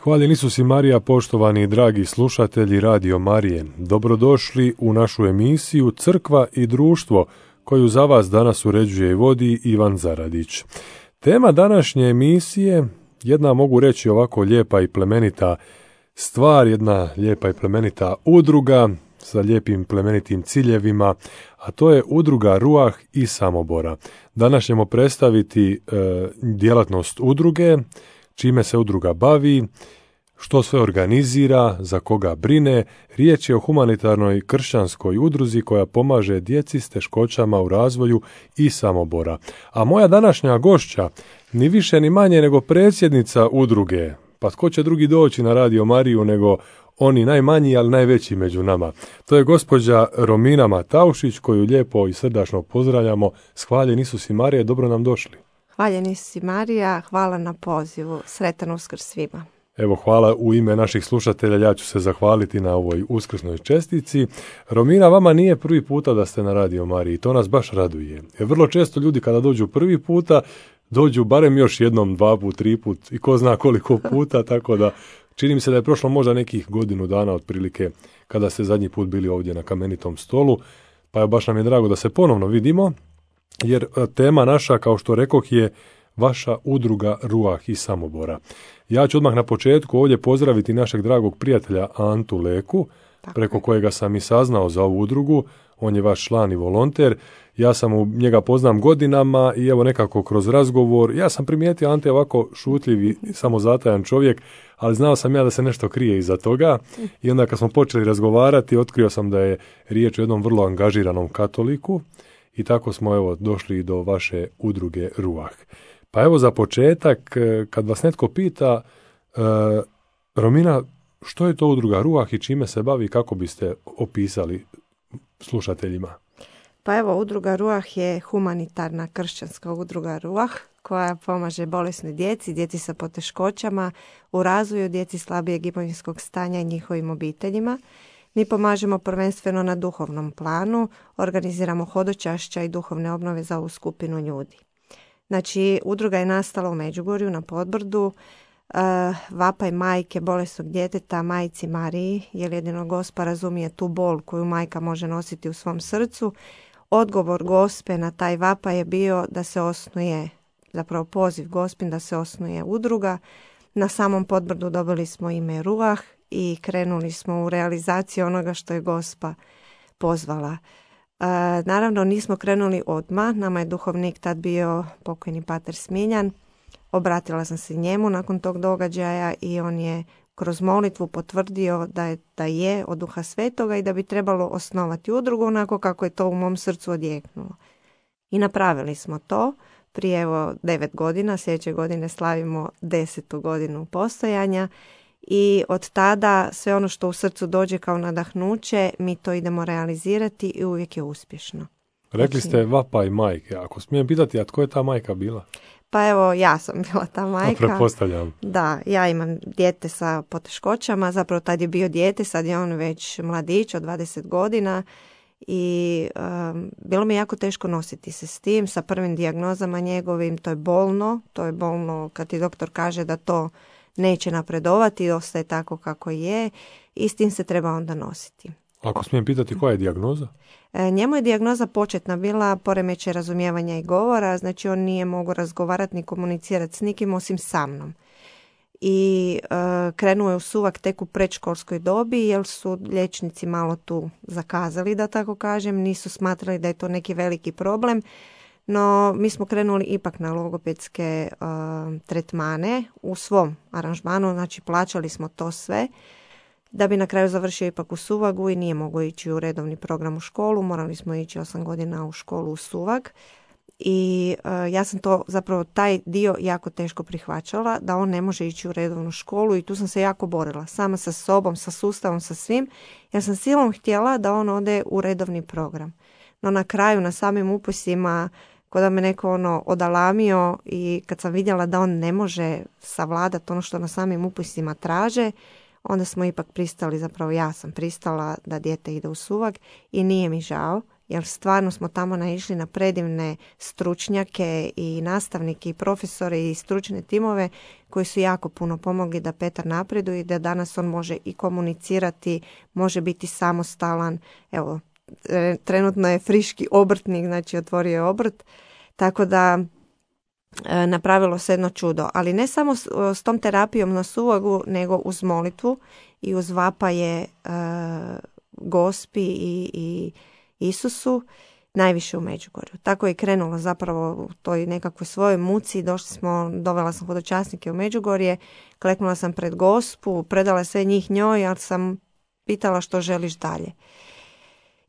Hvaljen Isus i Marija, poštovani i dragi slušatelji Radio Marije. Dobrodošli u našu emisiju Crkva i društvo, koju za vas danas uređuje i vodi Ivan Zaradić. Tema današnje emisije, jedna mogu reći ovako lijepa i plemenita stvar, jedna lijepa i plemenita udruga sa lijepim plemenitim ciljevima, a to je udruga Ruah iz Samobora. Danas ćemo predstaviti djelatnost udruge, čime se udruga bavi, što sve organizira, za koga brine. Riječ je o humanitarnoj kršćanskoj udruzi koja pomaže djeci s teškoćama u razvoju iz Samobora. A moja današnja gošća, ni više ni manje nego predsjednica udruge. Pa tko će drugi doći na Radio Mariju nego oni najmanji, ali najveći među nama. To je gospođa Romina Mataušić, koju lijepo i srdačno pozdravljamo. Hvaljen Isus i Marija, dobro nam došli. Hvaljen Isus i Marija, hvala na pozivu. Sretan Uskrs svima. Evo, hvala u ime naših slušatelja, ja ću se zahvaliti na ovoj uskrsnoj čestici. Romina, vama nije prvi puta da ste na Radio Mariji, to nas baš raduje. Jer vrlo često ljudi kada dođu prvi puta, dođu barem još jednom, dva put, tri put i ko zna koliko puta, tako da čini mi se da je prošlo možda nekih godinu dana otprilike kada ste zadnji put bili ovdje na kamenitom stolu, pa je baš nam je drago da se ponovno vidimo, jer tema naša, kao što rekoh, je vaša udruga Ruah iz Samobora. Ja ću odmah na početku ovdje pozdraviti našeg dragog prijatelja Antu Leku, preko kojega sam i saznao za ovu udrugu. On je vaš član i volonter. Ja sam njega poznam godinama i evo nekako kroz razgovor, ja sam primijetio Ante ovako šutljiv i samozatajan čovjek, ali znao sam ja da se nešto krije iza toga i onda kad smo počeli razgovarati, otkrio sam da je riječ o jednom vrlo angažiranom katoliku i tako smo evo došli do vaše udruge Ruah. Pa evo za početak, kad vas netko pita, Romina, što je to udruga Ruah i čime se bavi, kako biste opisali slušateljima? Pa evo, udruga Ruah je humanitarna kršćanska udruga Ruah koja pomaže bolesnoj djeci sa poteškoćama u razvoju, djeci slabijeg imovinskog stanja i njihovim obiteljima. Mi pomažemo prvenstveno na duhovnom planu, organiziramo hodočašća i duhovne obnove za ovu skupinu ljudi. Znači, udruga je nastala u Međugorju na Podbrdu, vapaj majke bolesnog djeteta majci Mariji, jer jedino Gospa razumije tu bol koju majka može nositi u svom srcu. Odgovor Gospe na taj vapaj je bio da se osnuje, zapravo poziv Gospin da se osnuje udruga. Na samom Podbrdu dobili smo ime Ruah i krenuli smo u realizaciju onoga što je Gospa pozvala. Naravno nismo krenuli odmah, nama je duhovnik tad bio pokojni pater Smiljan. Obratila sam se njemu nakon tog događaja i on je kroz molitvu potvrdio da je od Duha Svetoga i da bi trebalo osnovati udrugu onako kako je to u mom srcu odjeknulo. I napravili smo to. Prije 9 godina, sljedeće godine slavimo 10. godinu postojanja i od tada sve ono što u srcu dođe kao nadahnuće, mi to idemo realizirati i uvijek je uspješno. Rekli ste vapaj majke, ako smijem pitati, a tko je ta majka bila? Pa evo, ja sam bila ta majka. Pretpostavljam. Da, ja imam dijete sa poteškoćama, zapravo tad je bio dijete, sad je on već mladić od 20 godina i bilo mi jako teško nositi se s tim, sa prvim dijagnozama njegovim, to je bolno kad ti doktor kaže da to neće napredovati, ostaje tako kako je i s tim se treba onda nositi. Ako smijem pitati, koja je dijagnoza? Njemu je dijagnoza početna bila poremećaj razumijevanja i govora, znači on nije mogao razgovarati ni komunicirati s nikim osim sa mnom. I krenuo je u suvak tek u predškolskoj dobi jer su liječnici malo tu zakazali, da tako kažem, nisu smatrali da je to neki veliki problem. No, mi smo krenuli ipak na logopedske tretmane u svom aranžmanu, znači plaćali smo to sve, da bi na kraju završio ipak u Suvagu i nije mogao ići u redovni program u školu, morali smo ići 8 godina u školu u Suvag. I ja sam to, zapravo taj dio jako teško prihvaćala, da on ne može ići u redovnu školu i tu sam se jako borila, sama sa sobom, sa sustavom, sa svim. Ja sam silom htjela da on ode u redovni program. No na kraju, na samim upisima, kod da me neko odalamio i kad sam vidjela da on ne može savladati ono što na samim upisima traže, onda smo ipak pristali, zapravo ja sam pristala da dijete ide u Suvag i nije mi žao jer stvarno smo tamo naišli na predivne stručnjake i nastavnike i profesore i stručne timove koji su jako puno pomogli da Petar napreduje i da danas on može i komunicirati, može biti samostalan. Evo, trenutno je friški obrtnik, znači otvorio je obrt, tako da napravilo se jedno čudo. Ali ne samo s tom terapijom na suvogu, nego uz molitvu i uz vapaje Gospi i Isusu, najviše u Međugorju. Tako je krenulo zapravo u toj nekakvoj svojoj muci. Dovela sam hodočasnike u Međugorje, kleknula sam pred Gospu, predala sve njih njoj, ali sam pitala što želiš dalje.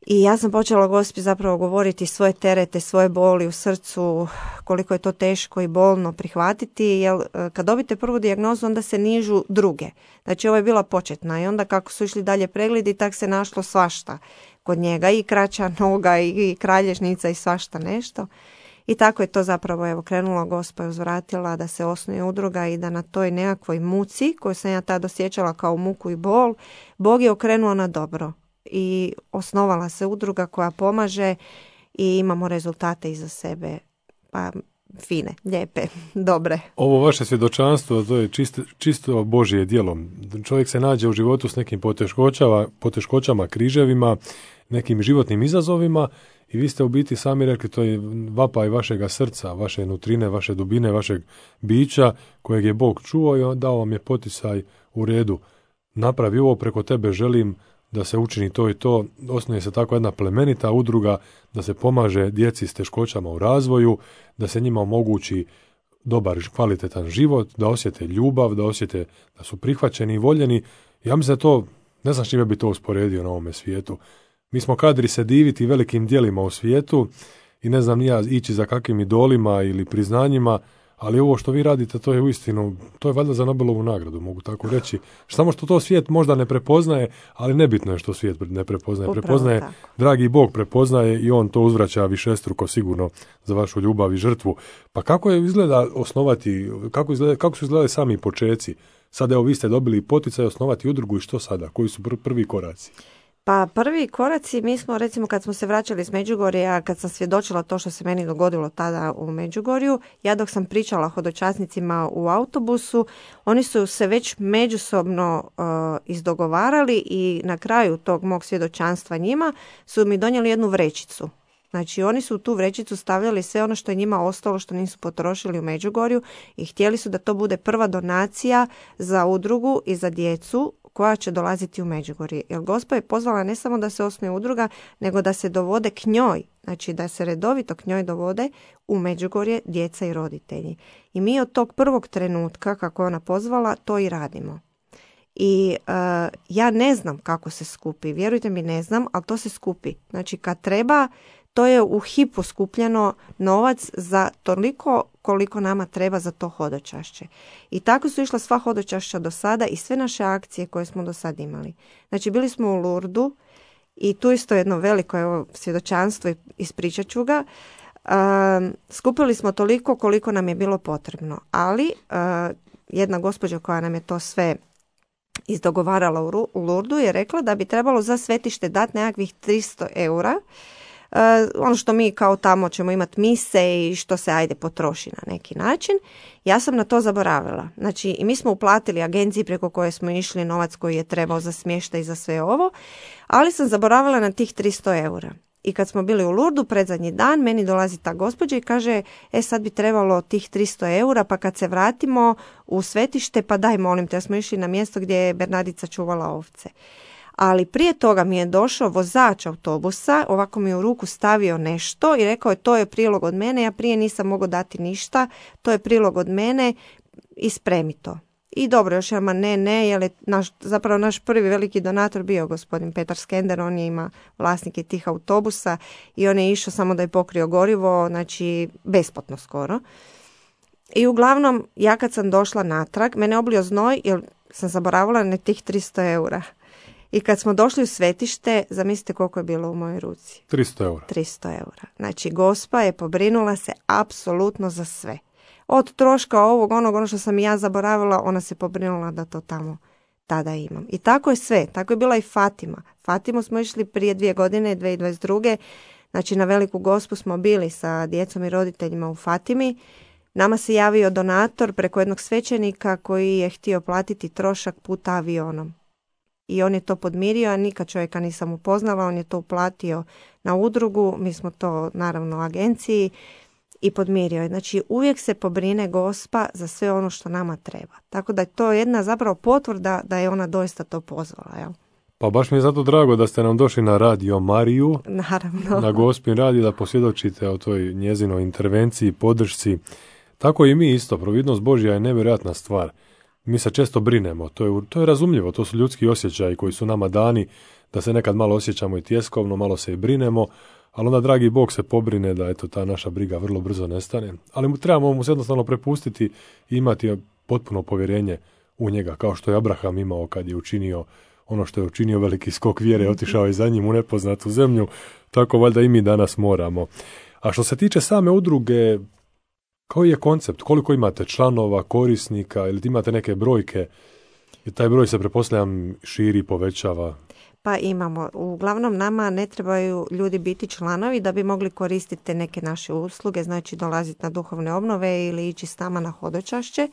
I ja sam počela Gospi zapravo govoriti svoje terete, svoje boli u srcu, koliko je to teško i bolno prihvatiti, jer kad dobite prvu dijagnozu onda se nižu druge. Znači ovo je bila početna i onda kako su išli dalje pregledi, tak se našlo svašta kod njega, i kraća noga i kralježnica i svašta nešto. I tako je to zapravo krenulo, Gospa je uzvratila da se osnuje udruga i da na toj nekakvoj muci koju sam ja tada osjećala kao muku i bol, Bog je okrenuo na dobro. I osnovala se udruga koja pomaže i imamo rezultate iza sebe, pa fine, lijepe, dobre. Ovo vaše svjedočanstvo, to je čisto Božje djelo. Čovjek se nađe u životu s nekim poteškoćama, križevima, nekim životnim izazovima i vi ste u biti sami rekli, to je vapaj vašega srca, vaše nutrine, vaše dubine, vašeg bića kojeg je Bog čuo i dao vam je poticaj u redu. Napravi ovo, preko tebe želim da se učini to i to. Osnuje se tako jedna plemenita udruga da se pomaže djeci s teškoćama u razvoju, da se njima omogući dobar, kvalitetan život, da osjete ljubav, da osjete da su prihvaćeni i voljeni. Ja mislim da to, ne znam čime bi to usporedio na ovome svijetu. Mi smo kadri se diviti velikim djelima u svijetu i ne znam ni ja ići za kakvim idolima ili priznanjima, ali ovo što vi radite, to je uistinu, to je valjda za Nobelovu nagradu, mogu tako reći. Samo što to svijet možda ne prepoznaje, ali nebitno je što svijet ne prepoznaje. Upravo prepoznaje, tako. dragi Bog prepoznaje i on to uzvraća višestruko sigurno za vašu ljubav i žrtvu. Pa kako je izgleda osnovati, kako su izgledali sami počeci? Sad evo vi ste dobili poticaj osnovati udrugu i što sada? Koji su prvi koraci? Pa prvi koraci, mi smo recimo kad smo se vraćali iz Međugorja, kad sam svjedočila to što se meni dogodilo tada u Međugorju, ja dok sam pričala hodočasnicima u autobusu, oni su se već međusobno izdogovarali i na kraju tog mog svjedočanstva njima su mi donijeli jednu vrećicu. Znači oni su u tu vrećicu stavljali sve ono što je njima ostalo, što nisu potrošili u Međugorju i htjeli su da to bude prva donacija za udrugu i za djecu koja će dolaziti u Međugorje. Jer Gospa je pozvala ne samo da se osnuje udruga, nego da se dovode k njoj, znači da se redovito k njoj dovode u Međugorje djeca i roditelji. I mi od tog prvog trenutka, kako je ona pozvala, to i radimo. I ja ne znam kako se skupi, vjerujte mi ne znam, ali to se skupi. Znači kad treba, to je u hipu skupljeno novac za toliko koliko nama treba za to hodočašće. I tako su išla sva hodočašća do sada i sve naše akcije koje smo do sada imali. Znači bili smo u Lurdu i tu isto jedno veliko svjedočanstvo i ispričat ću ga. Skupili smo toliko koliko nam je bilo potrebno, ali jedna gospođa koja nam je to sve izdogovarala u Lurdu je rekla da bi trebalo za svetište dati nekakvih 300 eura. Ono što mi kao tamo ćemo imati mise i što se potroši na neki način. Ja sam na to zaboravila. Znači i mi smo uplatili agenciji preko koje smo išli novac koji je trebao za smještaj i za sve ovo, ali sam zaboravila na tih 300 eura. I kad smo bili u Lurdu predzadnji dan, meni dolazi ta gospođa i kaže, sad bi trebalo tih 300 eura, pa kad se vratimo u svetište, pa daj molim te, ja smo išli na mjesto gdje je Bernardica čuvala ovce. Ali prije toga mi je došao vozač autobusa, ovako mi je u ruku stavio nešto i rekao je to je prilog od mene, ja prije nisam mogao dati ništa, to je prilog od mene i spremi to. I dobro, još jednom ne, jer je naš prvi veliki donator bio gospodin Petar Skender, on je ima vlasnike tih autobusa i on je išao samo da je pokrio gorivo, znači besplatno skoro. I uglavnom, ja kad sam došla natrag, mene oblio znoj jer sam zaboravila na tih 300 eura. I kad smo došli u svetište, zamislite koliko je bilo u mojoj ruci. 300 eura. 300 eura. Znači, Gospa je pobrinula se apsolutno za sve. Od troška ovog, ono što sam i ja zaboravila, ona se pobrinula da to tamo tada imam. I tako je sve. Tako je bila i Fatima. Fatimu smo išli prije 2 godine, 2022. Znači na Veliku Gospu smo bili sa djecom i roditeljima u Fatimi. Nama se javio donator preko jednog svećenika koji je htio platiti trošak puta avionom. I on je to podmirio, a nikad čovjeka nisam upoznala, on je to uplatio na udrugu, mi smo to naravno agenciji i podmirio je. Znači uvijek se pobrine Gospa za sve ono što nama treba. Tako da je to jedna zapravo potvrda da je ona doista to pozvala, jel? Pa baš mi je zato drago da ste nam došli na Radio Mariju, naravno, na Gospin radio, da posvjedočite o toj njezinoj intervenciji, podršci. Tako i mi isto, providnost Božja je nevjerojatna stvar. Mi se često brinemo, to je razumljivo, to su ljudski osjećaji koji su nama dani, da se nekad malo osjećamo i tjeskovno, malo se i brinemo, ali onda dragi Bog se pobrine da eto ta naša briga vrlo brzo nestane. Ali trebamo mu se jednostavno prepustiti i imati potpuno povjerenje u njega, kao što je Abraham imao kad je učinio ono što je učinio, veliki skok vjere, otišao je za njim u nepoznatu zemlju, tako valjda i mi danas moramo. A što se tiče same udruge, koji je koncept? Koliko imate članova, korisnika ili imate neke brojke? I taj broj se, pretpostavljam, širi, povećava? Pa imamo. Uglavnom nama ne trebaju ljudi biti članovi da bi mogli koristiti neke naše usluge, znači dolaziti na duhovne obnove ili ići s nama na hodočašće.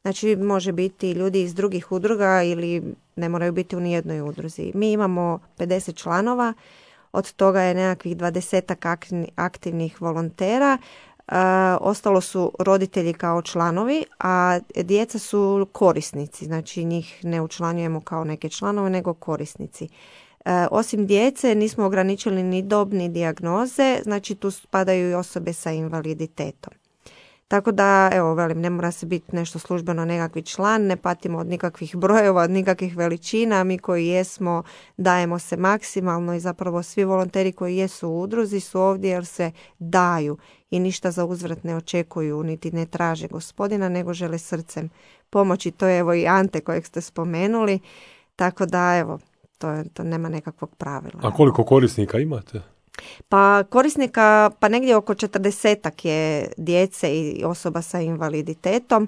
Znači može biti ljudi iz drugih udruga ili ne moraju biti u nijednoj udruzi. Mi imamo 50 članova, od toga je nekakvih 20 aktivnih volontera. Ostalo su roditelji kao članovi, a djeca su korisnici, znači njih ne učlanjujemo kao neke članove, nego korisnici. Osim djece nismo ograničili ni dob ni dijagnoze, znači tu spadaju i osobe sa invaliditetom. Tako da, evo, velim, ne mora se biti nešto službeno nekakvi član, ne patimo od nikakvih brojeva, od nikakvih veličina, mi koji jesmo dajemo se maksimalno i zapravo svi volonteri koji jesu u udruzi su ovdje jer se daju i ništa za uzvrat ne očekuju, niti ne traže Gospodina, nego žele srcem pomoći. To je evo i Ante kojeg ste spomenuli, tako da evo, to nema nekakvog pravila. A koliko korisnika imate? Pa korisnika, pa negdje oko 40 je djece i osoba sa invaliditetom,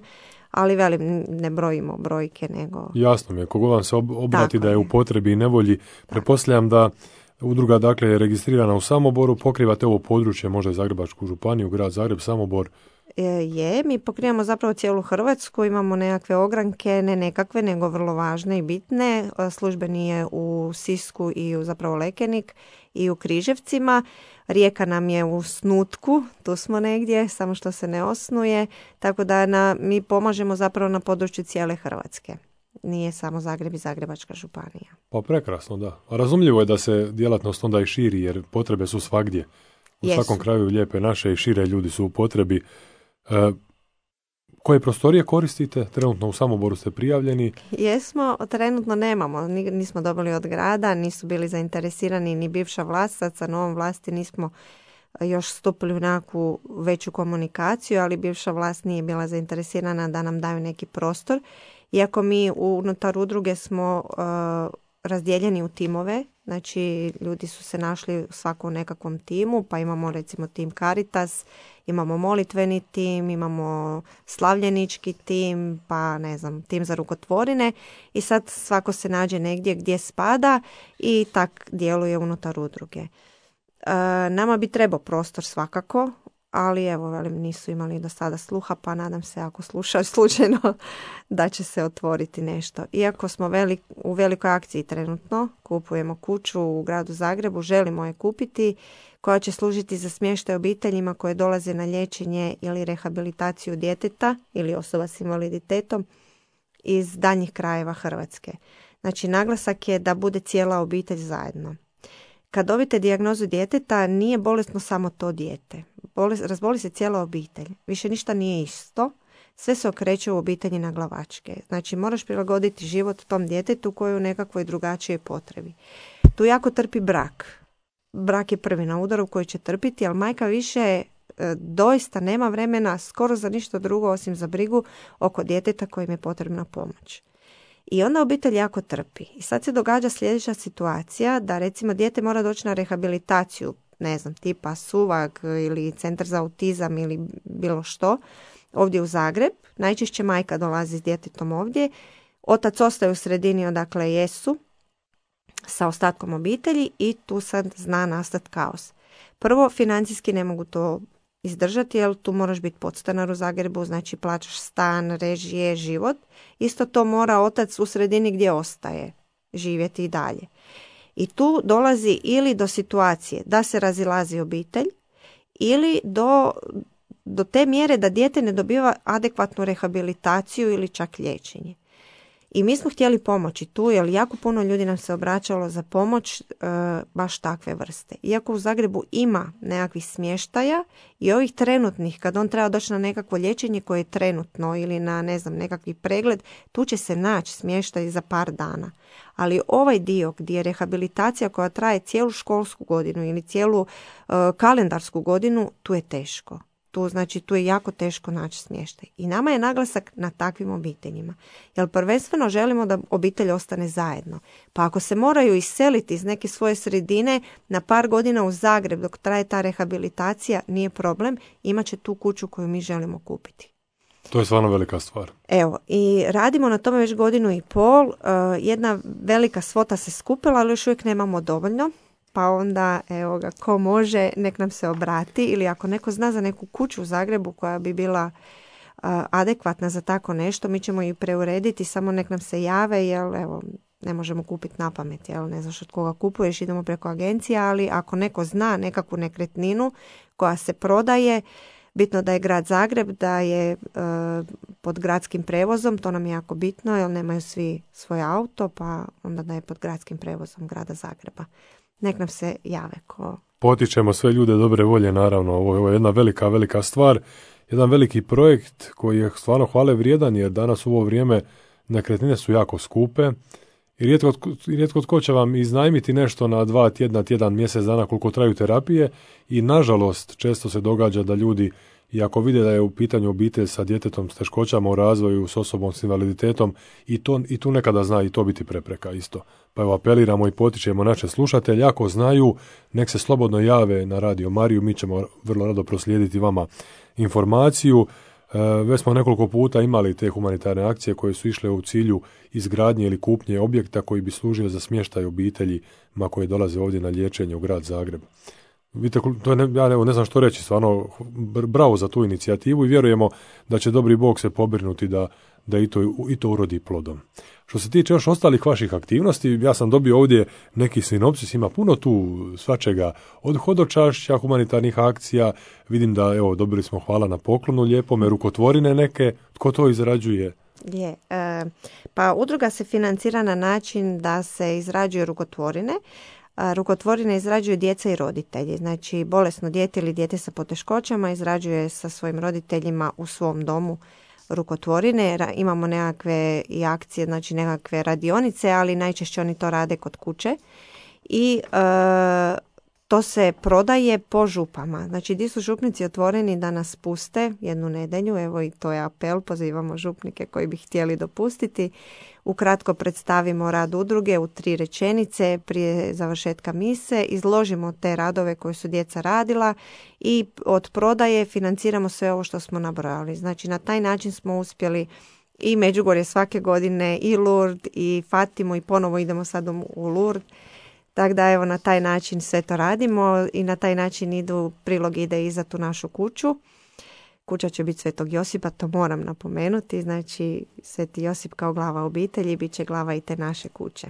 ali velim, ne brojimo brojke nego... Jasno mi je, kogo vam se obrati da je u potrebi i nevolji, pretpostavljam da udruga dakle je registrirana u Samoboru, pokrivate ovo područje, možda i Zagrebačku županiju, grad Zagreb, Samobor. Mi pokrivamo zapravo cijelu Hrvatsku, imamo nekakve ogranke, ne nekakve, nego vrlo važne i bitne. Službeni je u Sisku i u zapravo Lekenik i u Križevcima. Rijeka nam je u Snutku, tu smo negdje, samo što se ne osnuje, tako da mi pomažemo zapravo na području cijele Hrvatske. Nije samo Zagreb i Zagrebačka županija. Pa prekrasno, da. A razumljivo je da se djelatnost onda i širi, jer potrebe su svagdje. U svakom kraju lijepe naše i šire ljudi su u potrebi. Koje prostorije koristite? Trenutno u Samoboru ste prijavljeni? Jesmo, trenutno nemamo. Nismo dobili od grada, nisu bili zainteresirani ni bivša vlast, sad sa novom vlasti nismo još stupili u nekakvu veću komunikaciju, ali bivša vlast nije bila zainteresirana da nam daju neki prostor. Iako mi unutar udruge smo razdijeljeni u timove, znači ljudi su se našli svako u nekakvom timu, pa imamo recimo tim Caritas, imamo molitveni tim, imamo slavljenički tim, pa ne znam, tim za rukotvorine i sad svako se nađe negdje gdje spada i tak djeluje unutar udruge. Nama bi trebao prostor svakako, ali evo, velim, nisu imali do sada sluha, pa nadam se ako slušaju slučajno da će se otvoriti nešto. Iako smo u velikoj akciji trenutno, kupujemo kuću u gradu Zagrebu, želimo je kupiti, koja će služiti za smještaj obiteljima koje dolaze na liječenje ili rehabilitaciju djeteta ili osoba s invaliditetom iz daljnjih krajeva Hrvatske. Znači, naglasak je da bude cijela obitelj zajedno. Kad dobite dijagnozu djeteta, nije bolesno samo to dijete. Razboli se cijela obitelj. Više ništa nije isto. Sve se okreće u obitelji na glavačke. Znači, moraš prilagoditi život tom djetetu koji je u nekakvoj drugačijoj potrebi. Tu jako trpi brak. Brak je prvi na udaru koji će trpiti, ali majka više doista nema vremena skoro za ništa drugo osim za brigu oko djeteta kojim je potrebna pomoć. I onda obitelj jako trpi. I sad se događa sljedeća situacija da recimo dijete mora doći na rehabilitaciju, ne znam, tipa Suvag ili Centar za autizam ili bilo što, ovdje u Zagreb. Najčešće majka dolazi s djetetom ovdje. Otac ostaje u sredini odakle jesu sa ostatkom obitelji i tu sad zna nastati kaos. Prvo, financijski ne mogu to izdržati, jer tu moraš biti podstanar u Zagrebu, znači plaćaš stan, režije, život. Isto to mora otac u sredini gdje ostaje živjeti i dalje. I tu dolazi ili do situacije da se razilazi obitelj ili do te mjere da dijete ne dobiva adekvatnu rehabilitaciju ili čak liječenje. I mi smo htjeli pomoći tu, jer jako puno ljudi nam se obraćalo za pomoć baš takve vrste. Iako u Zagrebu ima nekakvih smještaja i ovih trenutnih, kad on treba doći na nekakvo liječenje koje je trenutno ili na nekakvi pregled, tu će se naći smještaj za par dana. Ali ovaj dio gdje je rehabilitacija koja traje cijelu školsku godinu ili cijelu kalendarsku godinu, tu je teško. Tu je jako teško naći smještaj. I nama je naglasak na takvim obiteljima. Jer prvenstveno želimo da obitelj ostane zajedno. Pa ako se moraju iseliti iz neke svoje sredine na par godina u Zagreb dok traje ta rehabilitacija, nije problem. Imat će tu kuću koju mi želimo kupiti. To je stvarno velika stvar. Evo, i radimo na tome već 1.5 godina. Jedna velika svota se skupila, ali još uvijek nemamo dovoljno. Pa onda, evo ga, ko može, nek nam se obrati, ili ako neko zna za neku kuću u Zagrebu koja bi bila adekvatna za tako nešto, mi ćemo ju preurediti, samo nek nam se jave, jer evo, ne možemo kupiti na pamet, jel, ne znaš od koga kupuješ, idemo preko agencija, ali ako neko zna nekakvu nekretninu koja se prodaje, bitno da je grad Zagreb, da je pod gradskim prevozom, to nam je jako bitno, jer nemaju svi svoj auto, pa onda da je pod gradskim prevozom grada Zagreba. Nek nam se jave. Potičemo sve ljude dobre volje, naravno. Ovo je jedna velika, velika stvar. Jedan veliki projekt koji je stvarno hvale vrijedan, jer danas u ovo vrijeme nekretnine su jako skupe i rijetko tko će vam iznajmiti nešto na 2 tjedna, tjedan, mjesec dana koliko traju terapije i nažalost često se događa da ljudi, i ako vide da je u pitanju obitelj sa djetetom s teškoćama u razvoju, s osobom s invaliditetom, i tu nekada zna i to biti prepreka isto. Pa evo apeliramo i potičemo naše slušatelje, ako znaju, nek se slobodno jave na Radio Mariju, mi ćemo vrlo rado proslijediti vama informaciju. Već smo nekoliko puta imali te humanitarne akcije koje su išle u cilju izgradnje ili kupnje objekta koji bi služio za smještaj obiteljima koje dolaze ovdje na liječenje u grad Zagreb. Vidite, ja ne znam što reći, stvarno bravo za tu inicijativu i vjerujemo da će dobri Bog se pobrinuti da i to urodi plodom. Što se tiče još ostalih vaših aktivnosti, ja sam dobio ovdje neki sinopsis, ima puno tu svačega, od hodočašća, humanitarnih akcija, vidim da, evo, dobili smo hvala na poklonu lijepome, rukotvorine neke, tko to izrađuje? Pa udruga se financira na način da se izrađuju rukotvorine. Rukotvorine izrađuju djeca i roditelji, znači bolesno dijete ili dijete sa poteškoćama izrađuje sa svojim roditeljima u svom domu rukotvorine. Imamo nekakve i akcije, znači nekakve radionice, ali najčešće oni to rade kod kuće i to se prodaje po župama. Znači gdje su župnici otvoreni da nas puste jednu nedjelju, evo i to je apel, pozivamo župnike koji bi htjeli dopustiti. Ukratko predstavimo rad udruge u 3 rečenice prije završetka mise, izložimo te radove koje su djeca radila i od prodaje financiramo sve ovo što smo nabrojali. Znači na taj način smo uspjeli i Međugorje svake godine, i Lourdes, i Fatimu, i ponovo idemo sad u Lourdes. Tako da evo na taj način sve to radimo i na taj način prilog ide i za tu našu kuću. Kuća će biti Svetog Josipa, to moram napomenuti, znači Sveti Josip kao glava obitelji bit će glava i te naše kuće.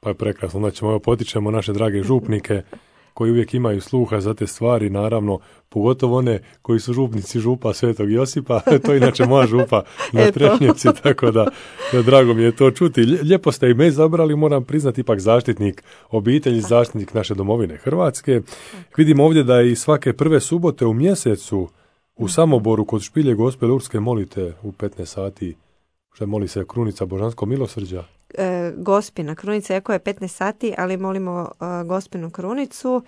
Pa je prekrasno, znači potičemo naše drage župnike koji uvijek imaju sluha za te stvari, naravno, pogotovo one koji su župnici župa Svetog Josipa, to je inače moja župa na Trešnjevci, tako da drago mi je to čuti. Lijepo ste i me izabrali, moram priznati, ipak zaštitnik obitelji, zaštitnik naše domovine Hrvatske. Vidimo ovdje da i svake prve subote u mjesecu u Samoboru kod špilje Gospe Lurdske molite u 15 sati, što moli se Krunica Božanskog milosrđa. Gospina Krunica, iako je 15 sati, ali molimo Gospinu Krunicu.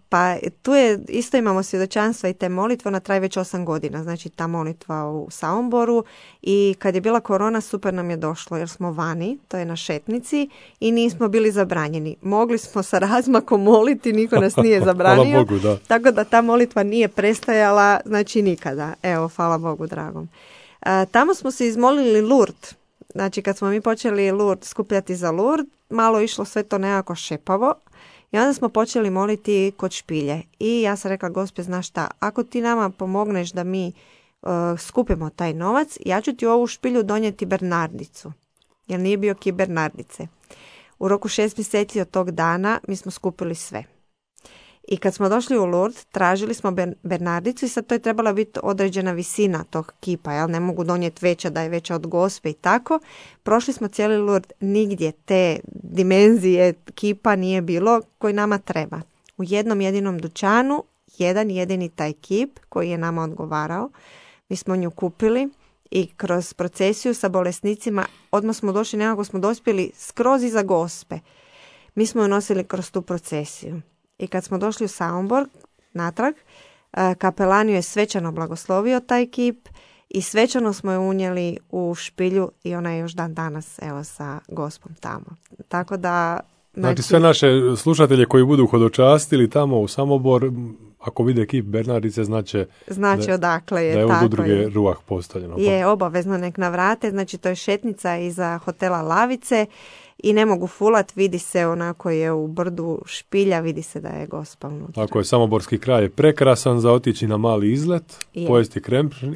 Pa tu je, isto imamo svjedočanstva i te molitve, ona traje već 8 godina, znači ta molitva u Samoboru, i kad je bila korona super nam je došlo jer smo vani, to je na šetnici i nismo bili zabranjeni. Mogli smo sa razmakom moliti, niko nas nije zabranio. Hvala Bogu, da. Tako da ta molitva nije prestajala, znači nikada. Evo, hvala Bogu dragom. Tamo smo se izmolili Lourdes. Znači kad smo mi počeli skupljati za Lourdes, malo išlo sve to nekako šepavo I onda smo počeli moliti kod špilje. I ja sam rekla, Gospe, znaš šta, ako ti nama pomogneš da mi skupimo taj novac, ja ću ti ovu špilju donijeti Bernardicu. Jer nije bio kip Bernardice. U roku 6 mjeseci od tog dana mi smo skupili sve. I kad smo došli u Lourdes, tražili smo Bernardicu i sad to je trebala biti određena visina tog kipa, jel? Ne mogu donijeti veća da je veća od Gospe i tako. Prošli smo cijeli Lourdes, nigdje te dimenzije kipa nije bilo koji nama treba. U jednom jedinom dućanu, jedan jedini taj kip koji je nama odgovarao, mi smo nju kupili i kroz procesiju sa bolesnicima odmah smo došli, nekako smo dospjeli skroz iza Gospe. Mi smo ju nosili kroz tu procesiju. I kad smo došli u Samobor natrag, kapelan ju je svečano blagoslovio taj kip i svečano smo je unijeli u špilju i ona je još dan danas evo sa Gospom tamo. Tako da... Znači sve naše slušatelje koji budu hodočastili tamo u Samobor, ako vide kip Bernardice, znači odakle je. Da je tako od udruge Ruah postavljeno. Je, obavezno nek navrate, znači to je šetnica iza hotela Lavice i ne mogu fulat, vidi se onako je u brdu špilja, vidi se da je Gospa unutra. Ako je Samoborski kraj je prekrasan za otići na mali izlet, pojesti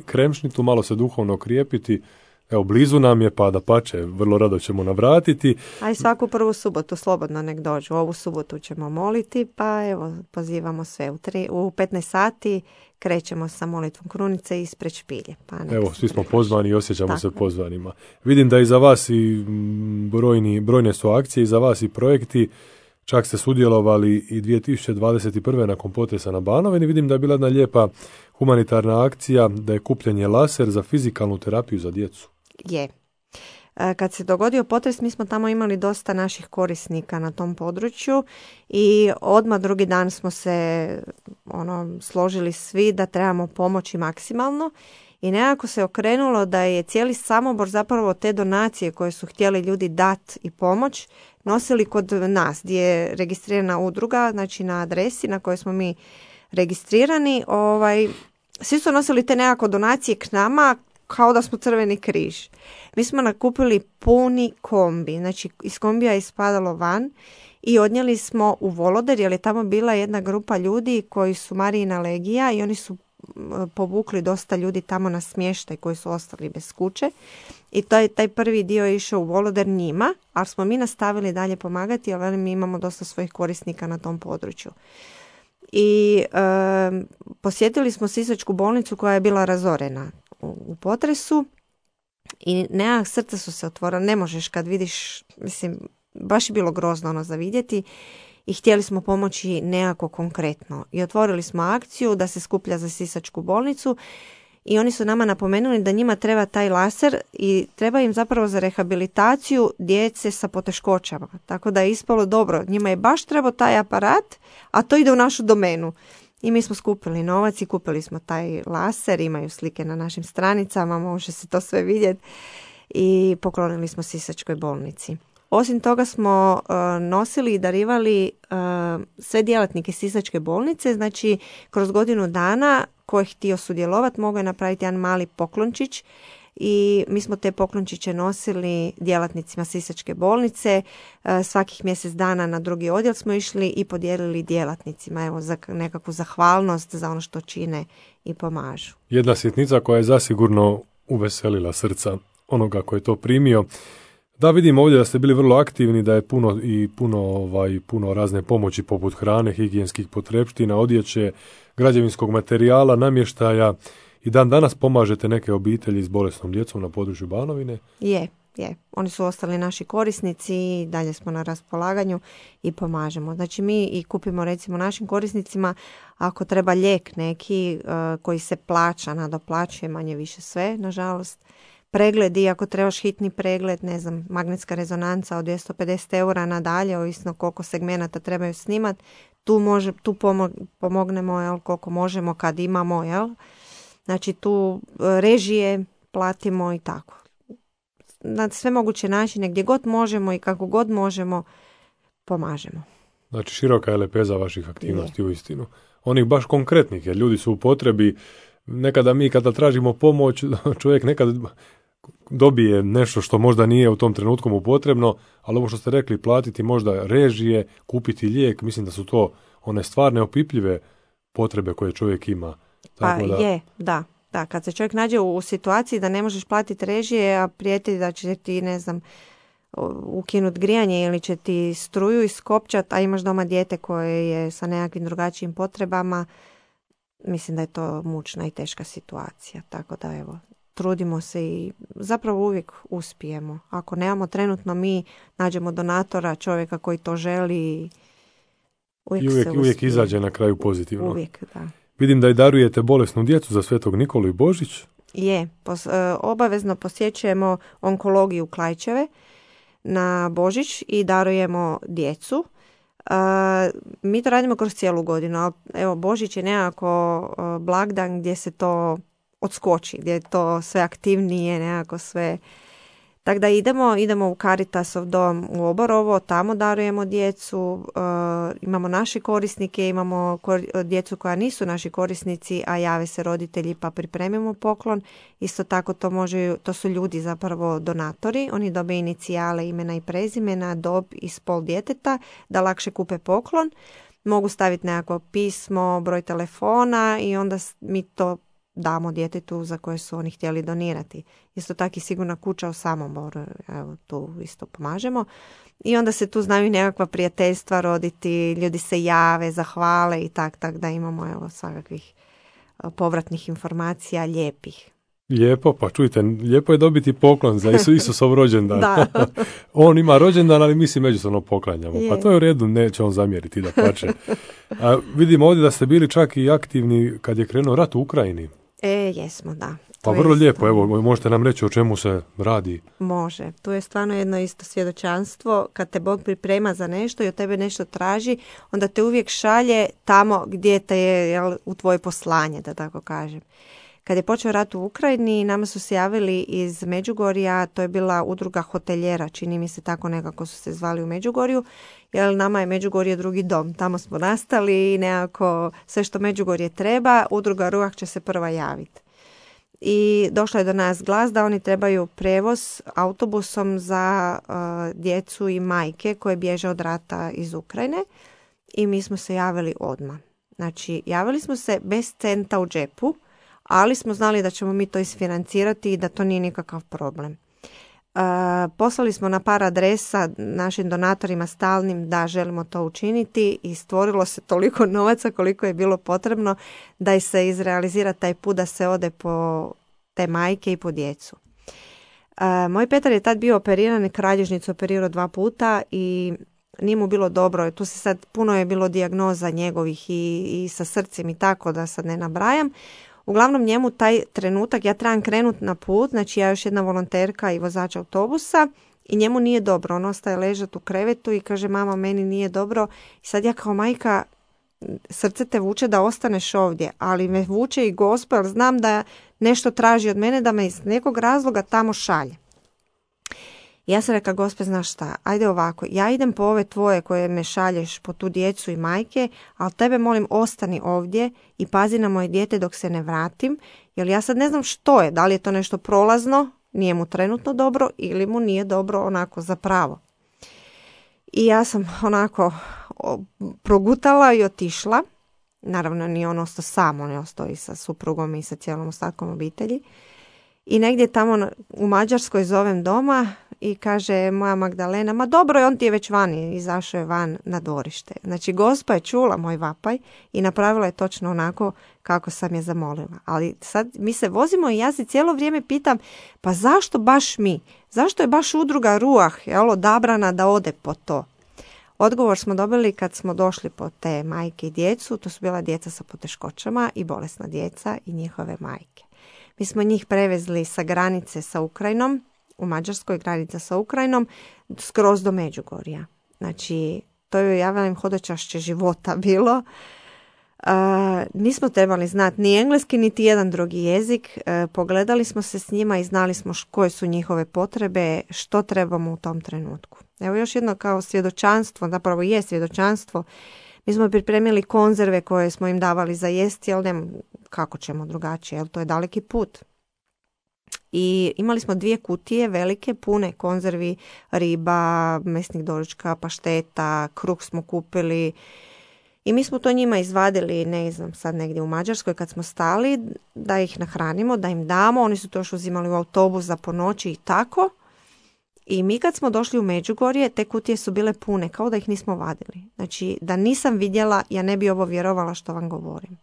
kremšnitu, malo se duhovno okrijepiti. Evo, blizu nam je, pa da pače, vrlo rado ćemo navratiti. A i svaku prvu subotu slobodno nek dođu. Ovu subotu ćemo moliti, pa evo, pozivamo sve. U 15 sati krećemo sa molitvom krunice ispred špilje. Pa evo, svi smo pozvani i osjećamo se pozvanima. Vidim da i za vas i brojne su akcije, i za vas i projekti. Čak ste sudjelovali i 2021. nakon potresa na Banovini. Vidim da je bila jedna lijepa humanitarna akcija, da je kupljen laser za fizikalnu terapiju za djecu. Je. Kad se dogodio potres, mi smo tamo imali dosta naših korisnika na tom području i odmah drugi dan smo se složili svi da trebamo pomoći maksimalno i nekako se okrenulo da je cijeli Samobor zapravo te donacije koje su htjeli ljudi dati i pomoć nosili kod nas gdje je registrirana udruga, znači na adresi na kojoj smo mi registrirani. Svi su nosili te nekako donacije k nama kao da smo Crveni križ. Mi smo nakupili puni kombi, znači iz kombija je ispadalo van i odnijeli smo u Voloder jer je tamo bila jedna grupa ljudi koji su Marijina legija i oni su povukli dosta ljudi tamo na smještaj koji su ostali bez kuće i taj prvi dio je išao u Voloder njima, ali smo mi nastavili dalje pomagati jer mi imamo dosta svojih korisnika na tom području. I posjetili smo Sisačku bolnicu koja je bila razorena u potresu i nekak srca su se otvorila, ne možeš kad vidiš, mislim, baš je bilo grozno za vidjeti i htjeli smo pomoći nekako konkretno i otvorili smo akciju da se skuplja za Sisačku bolnicu i oni su nama napomenuli da njima treba taj laser i treba im zapravo za rehabilitaciju djece sa poteškoćama, tako da je ispalo dobro, njima je baš trebao taj aparat, a to ide u našu domenu. I mi smo skupili novac i kupili smo taj laser, imaju slike na našim stranicama, može se to sve vidjeti i poklonili smo Sisačkoj bolnici. Osim toga smo nosili i darivali sve djelatnike Sisačke bolnice, znači kroz godinu dana ko je htio sudjelovati mogao je napraviti jedan mali poklončić i mi smo te poklončiće nosili djelatnicima Sisačke bolnice. Svakih mjesec dana na drugi odjel smo išli i podijelili djelatnicima, evo, za nekakvu zahvalnost za ono što čine i pomažu. Jedna sitnica koja je zasigurno uveselila srca onoga koji je to primio. Da, vidim ovdje da ste bili vrlo aktivni, da je puno razne pomoći poput hrane, higijenskih potrepština, odjeće, građevinskog materijala, namještaja. I dan danas pomažete neke obitelji s bolesnom djecom na području Banovine? Je. Oni su ostali naši korisnici i dalje smo na raspolaganju i pomažemo. Znači mi i kupimo recimo našim korisnicima ako treba lijek neki koji se plaća, nadoplaćuje manje više sve, nažalost. Pregledi, ako trebaš hitni pregled, ne znam, magnetska rezonanca od 250 eura nadalje, ovisno koliko segmenata trebaju snimati, tu pomognemo, jel, koliko možemo kad imamo, jel. Znači tu režije platimo i tako. Na sve moguće načine, gdje god možemo i kako god možemo, pomažemo. Znači široka je lepeza vaših aktivnosti uistinu. Onih baš konkretnih, jer ljudi su u potrebi. Nekada mi kada tražimo pomoć, čovjek nekad dobije nešto što možda nije u tom trenutku mu potrebno, ali ovo što ste rekli, platiti možda režije, kupiti lijek, mislim da su to one stvarne opipljive potrebe koje čovjek ima. Tako da, kad se čovjek nađe u situaciji da ne možeš platiti režije, a prijeti da će ti, ne znam, ukinut grijanje ili će ti struju iskopčat, a imaš doma dijete koje je sa nekakvim drugačijim potrebama, mislim da je to mučna i teška situacija. Tako da evo, trudimo se i zapravo uvijek uspijemo. Ako nemamo trenutno, mi nađemo donatora, čovjeka koji to želi i uvijek izađe na kraju pozitivno. Uvijek, da. Vidim da i darujete bolesnu djecu za Svetog Nikolu i Božić. Je, obavezno posjećujemo onkologiju Klaićeve na Božić i darujemo djecu. Mi to radimo kroz cijelu godinu, ali evo Božić je nekako blagdan gdje se to odskoči, gdje je to sve aktivnije, nekako sve. Tako da idemo u Caritasov dom u Oborovo, tamo darujemo djecu, imamo naše korisnike, imamo djecu koja nisu naši korisnici, a jave se roditelji pa pripremimo poklon. Isto tako to su ljudi zapravo donatori, oni dobe inicijale, imena i prezimena, dob i spol djeteta da lakše kupe poklon. Mogu staviti nekako pismo, broj telefona i onda mi to damo djetetu za koje su oni htjeli donirati. Isto tako i Sigurna kuća u Samoboru, evo tu isto pomažemo. I onda se tu znaju nekakva prijateljstva roditi, ljudi se jave, zahvale i tak da imamo evo svakakvih povratnih informacija lijepih. Lijepo, pa čujte, lijepo je dobiti poklon za Isusov rođendan. Da. On ima rođendan, ali mi si međusobno poklanjamo. Pa to je u redu, neće on zamjeriti da pače. Vidimo ovdje da ste bili čak i aktivni kad je krenuo rat u Ukrajini. Jesmo, da. Pa vrlo lijepo, evo, možete nam reći o čemu se radi? Može, tu je stvarno jedno isto svjedočanstvo, kad te Bog priprema za nešto i od tebe nešto traži, onda te uvijek šalje tamo gdje te je u tvoje poslanje, da tako kažem. Kad je počeo rat u Ukrajini, nama su se javili iz Međugorja, to je bila udruga hoteljera, čini mi se tako nekako su se zvali u Međugorju, jer nama je Međugorje drugi dom, tamo smo nastali i nekako sve što Međugorje treba, udruga Ruah će se prva javiti. I došla je do nas glas da oni trebaju prevoz autobusom za djecu i majke koje bježe od rata iz Ukrajine i mi smo se javili odmah. Znači, javili smo se bez centa u džepu, ali smo znali da ćemo mi to isfinancirati i da to nije nikakav problem. Poslali smo na par adresa našim donatorima stalnim da želimo to učiniti i stvorilo se toliko novaca koliko je bilo potrebno da se izrealizira taj put da se ode po te majke i po djecu. Moj Petar je tad bio operiran, kralježnicu operirao 2 puta i nije mu bilo dobro. Tu se sad puno je bilo dijagnoza njegovih i sa srcem i tako da sad ne nabrajam. Uglavnom njemu taj trenutak, ja trebam krenuti na put, znači ja još jedna volonterka i vozač autobusa i njemu nije dobro. On ostaje ležati u krevetu i kaže mama meni nije dobro. I sad ja kao majka, srce te vuče da ostaneš ovdje, ali me vuče i Gospod, jer znam da nešto traži od mene da me iz nekog razloga tamo šalje. Ja sam rekla, Gospod, znaš šta, ajde ovako, ja idem po ove tvoje koje me šalješ, po tu djecu i majke, ali tebe molim ostani ovdje i pazi na moje dijete dok se ne vratim, jer ja sad ne znam što je, da li je to nešto prolazno, nije mu trenutno dobro ili mu nije dobro onako za pravo. I ja sam onako progutala i otišla, naravno nije on ostao sam, on je ostao i sa suprugom i sa cijelom ostatkom obitelji. I negdje tamo u Mađarskoj zovem doma i kaže moja Magdalena, ma dobro je, on ti je već vani, izašao je van na dvorište. Znači Gospa je čula moj vapaj i napravila je točno onako kako sam je zamolila. Ali sad mi se vozimo i ja se cijelo vrijeme pitam, pa zašto baš mi? Zašto je baš udruga Ruah odabrana da ode po to? Odgovor smo dobili kad smo došli po te majke i djecu, to su bila djeca sa poteškoćama i bolesna djeca i njihove majke. Mi smo njih prevezli sa granice sa Ukrajinom, u Mađarskoj granica sa Ukrajinom, skroz do Međugorja. Znači, to je, ja velim, hodočašće života bilo. Nismo trebali znati ni engleski, niti jedan drugi jezik. Pogledali smo se s njima i znali smo koje su njihove potrebe, što trebamo u tom trenutku. Evo još jedno kao svjedočanstvo, zapravo je svjedočanstvo. Mi smo pripremili konzerve koje smo im davali za jesti, ali ne kako ćemo drugačije, jer to je daleki put. I imali smo 2 kutije velike, pune konzervi, riba, mesnih doručka, pašteta, kruh smo kupili. I mi smo to njima izvadili, ne znam, sad negdje u Mađarskoj kad smo stali, da ih nahranimo, da im damo. Oni su to još uzimali u autobus za po noći i tako. I mi kad smo došli u Međugorje, te kutije su bile pune, kao da ih nismo vadili. Znači, da nisam vidjela, ja ne bi ovo vjerovala što vam govorim.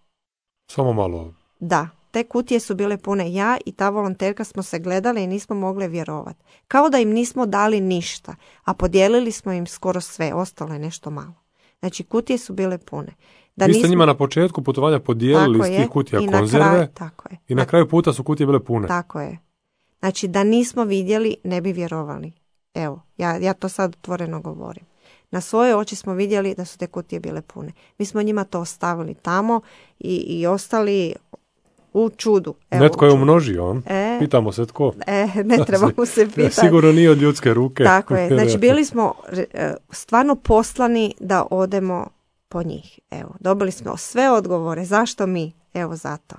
Samo malo. Da, te kutije su bile pune. Ja i ta volonterka smo se gledali i nismo mogle vjerovati. Kao da im nismo dali ništa, a podijelili smo im skoro sve, ostalo je nešto malo. Znači, kutije su bile pune. Vi ste njima na početku putovanja podijelili iz tih kutija konzerve i na kraju puta su kutije bile pune. Tako je. Znači, da nismo vidjeli, ne bi vjerovali. Evo, ja to sad otvoreno govorim. Na svoje oči smo vidjeli da su te kutije bile pune. Mi smo njima to ostavili tamo i ostali u čudu. Evo, netko je umnožio, pitamo se tko. Ne trebamo se pitati. Sigurno nije od ljudske ruke. Tako je, znači bili smo stvarno poslani da odemo po njih. Evo, dobili smo sve odgovore. Zašto mi? Evo zato.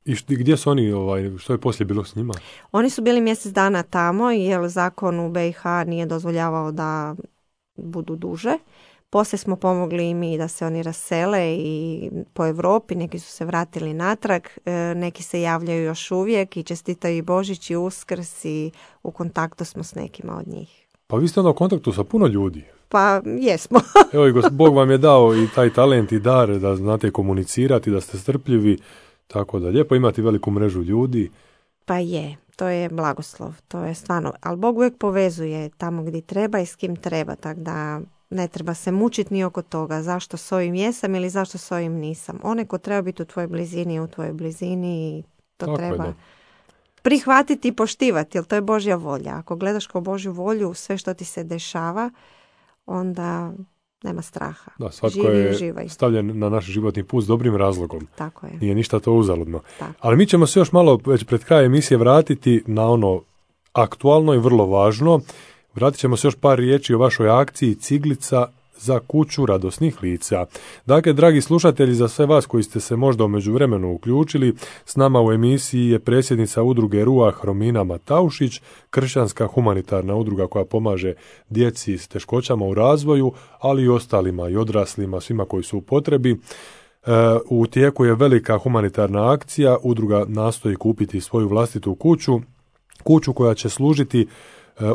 I gdje su oni, što je poslije bilo s njima? Oni su bili mjesec dana tamo jer zakon u BiH nije dozvoljavao da budu duže. Poslije smo pomogli i mi da se oni rasele i po Europi, neki su se vratili natrag, neki se javljaju još uvijek i čestitaju i Božić i Uskrs i u kontaktu smo s nekima od njih. Pa vi ste onda u kontaktu sa puno ljudi. Pa jesmo. Evo i Bog vam je dao i taj talent i dar da znate komunicirati, da ste strpljivi, tako da lijepo imati veliku mrežu ljudi. Pa je, to je blagoslov, to je stvarno, ali Bog uvijek povezuje tamo gdje treba i s kim treba, tako da ne treba se mučiti ni oko toga zašto s ovim jesam ili zašto s ovim nisam. Onaj ko treba biti u tvojoj blizini je u tvojoj blizini i to tako treba je, prihvatiti i poštivati, jer to je Božja volja. Ako gledaš kao Božju volju sve što ti se dešava, onda nema straha. Da, svatko je stavljen na naš životni put s dobrim razlogom. Tako je. Nije ništa to uzaludno. Tako. Ali mi ćemo se još malo već pred kraj emisije vratiti na ono aktualno i vrlo važno. Vratit ćemo se još par riječi o vašoj akciji Ciglica za kuću radosnih lica. Dakle, dragi slušatelji, za sve vas koji ste se možda u međuvremenu uključili, s nama u emisiji je predsjednica udruge Ruah Romina Mataušić, kršćanska humanitarna udruga koja pomaže djeci s teškoćama u razvoju, ali i ostalima i odraslima, svima koji su u potrebi. U tijeku je velika humanitarna akcija, udruga nastoji kupiti svoju vlastitu kuću koja će služiti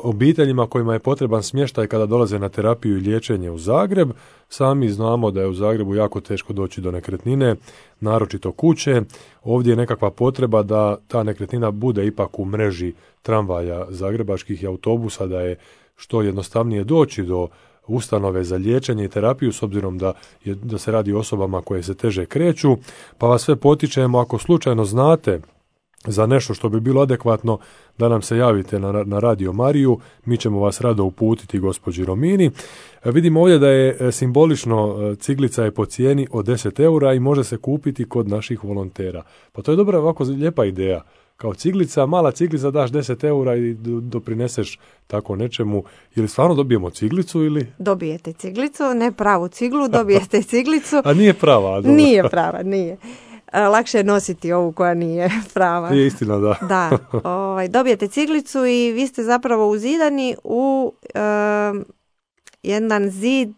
obiteljima kojima je potreban smještaj kada dolaze na terapiju i liječenje u Zagreb. Sami znamo da je u Zagrebu jako teško doći do nekretnine, naročito kuće. Ovdje je nekakva potreba da ta nekretnina bude ipak u mreži tramvaja zagrebačkih i autobusa, da je što jednostavnije doći do ustanove za liječenje i terapiju, s obzirom da se radi o osobama koje se teže kreću. Pa vas sve potičemo, ako slučajno znate za nešto što bi bilo adekvatno, da nam se javite na Radio Mariju, mi ćemo vas rado uputiti gospođi Romini. Vidimo ovdje da je simbolično, ciglica je po cijeni od 10 eura i može se kupiti kod naših volontera. Pa to je dobra, ovako lijepa ideja. Kao ciglica, mala ciglica, daš 10 eura i doprineseš tako nečemu. Je li stvarno dobijemo ciglicu ili? Dobijete ciglicu, ne pravu ciglu, dobijete ciglicu. A nije prava? Dobro. Nije prava, nije. Lakše je nositi ovu koja nije prava. Je istina, da. Da, dobijete ciglicu i vi ste zapravo uzidani u jedan zid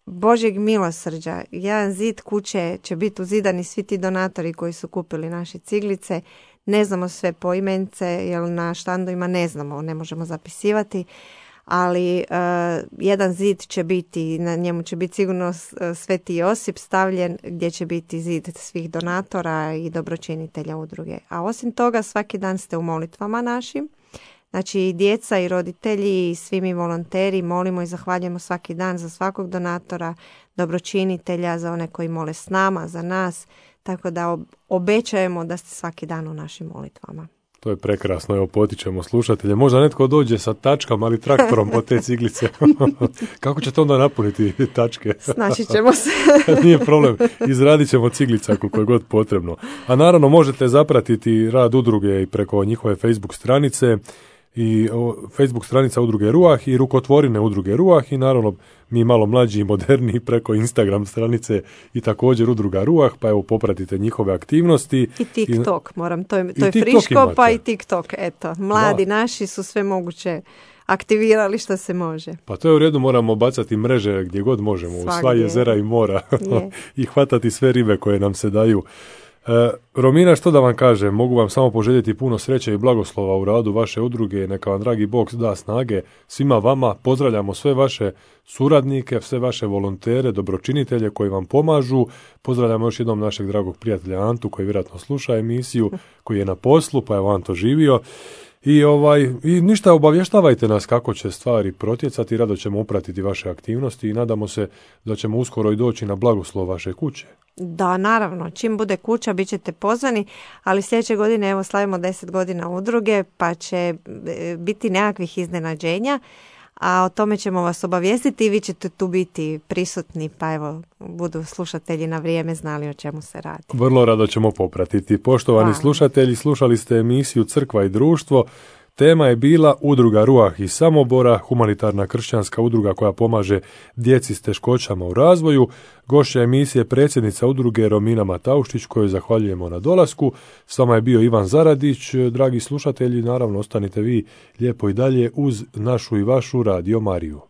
Božjeg milosrđa. Jedan zid kuće će biti uzidani svi ti donatori koji su kupili naše ciglice. Ne znamo sve poimence, jer na štandovima ne znamo, ne možemo zapisivati. Ali jedan zid će biti, na njemu će biti sigurno Sveti Josip stavljen, gdje će biti zid svih donatora i dobročinitelja udruge. A osim toga, svaki dan ste u molitvama našim. Znači i djeca i roditelji i svi mi volonteri molimo i zahvaljujemo svaki dan za svakog donatora, dobročinitelja, za one koji mole s nama, za nas. Tako da obećajemo da ste svaki dan u našim molitvama. To je prekrasno, evo potičemo slušatelje. Možda netko dođe sa tačkama ali traktorom po te ciglice. Kako ćete onda napuniti tačke? Snaći ćemo se. Nije problem, izradit ćemo ciglica koliko je god potrebno. A naravno možete zapratiti rad udruge i preko njihove Facebook stranice. i Facebook stranica Udruge Ruah i rukotvorine Udruge Ruah i naravno mi malo mlađi i moderniji preko Instagram stranice i također Udruga Ruah, pa evo popratite njihove aktivnosti. I TikTok, to je friško, pa i TikTok, eto. Mladi naši su sve moguće aktivirali što se može. Pa to je u redu, moramo bacati mreže gdje god možemo, u sva jezera i mora i hvatati sve ribe koje nam se daju. Romina, što da vam kažem, mogu vam samo poželjeti puno sreće i blagoslova u radu vaše udruge, neka vam dragi Bog da snage svima vama, pozdravljamo sve vaše suradnike, sve vaše volontere, dobročinitelje koji vam pomažu, pozdravljamo još jednom našeg dragog prijatelja Antu koji vjerojatno sluša emisiju, koji je na poslu, pa je Anto živio. I ništa, obavještavajte nas kako će stvari protjecati, rado ćemo upratiti vaše aktivnosti i nadamo se da ćemo uskoro i doći na blagoslov vaše kuće. Da, naravno, čim bude kuća bit ćete pozvani, ali sljedeće godine evo slavimo 10 godina udruge pa će biti nekakvih iznenađenja, a o tome ćemo vas obavijestiti i vi ćete tu biti prisutni, pa evo budu slušatelji na vrijeme znali o čemu se radi. Vrlo rado ćemo popratiti. Poštovani slušatelji, slušali ste emisiju Crkva i društvo. Tema je bila Udruga Ruah iz Samobora, humanitarna kršćanska udruga koja pomaže djeci s teškoćama u razvoju. Gošća emisije predsjednica udruge Romina Matauštić, kojoj zahvaljujemo na dolasku. S vama je bio Ivan Zaradić. Dragi slušatelji, naravno ostanite vi lijepo i dalje uz našu i vašu Radio Mariju.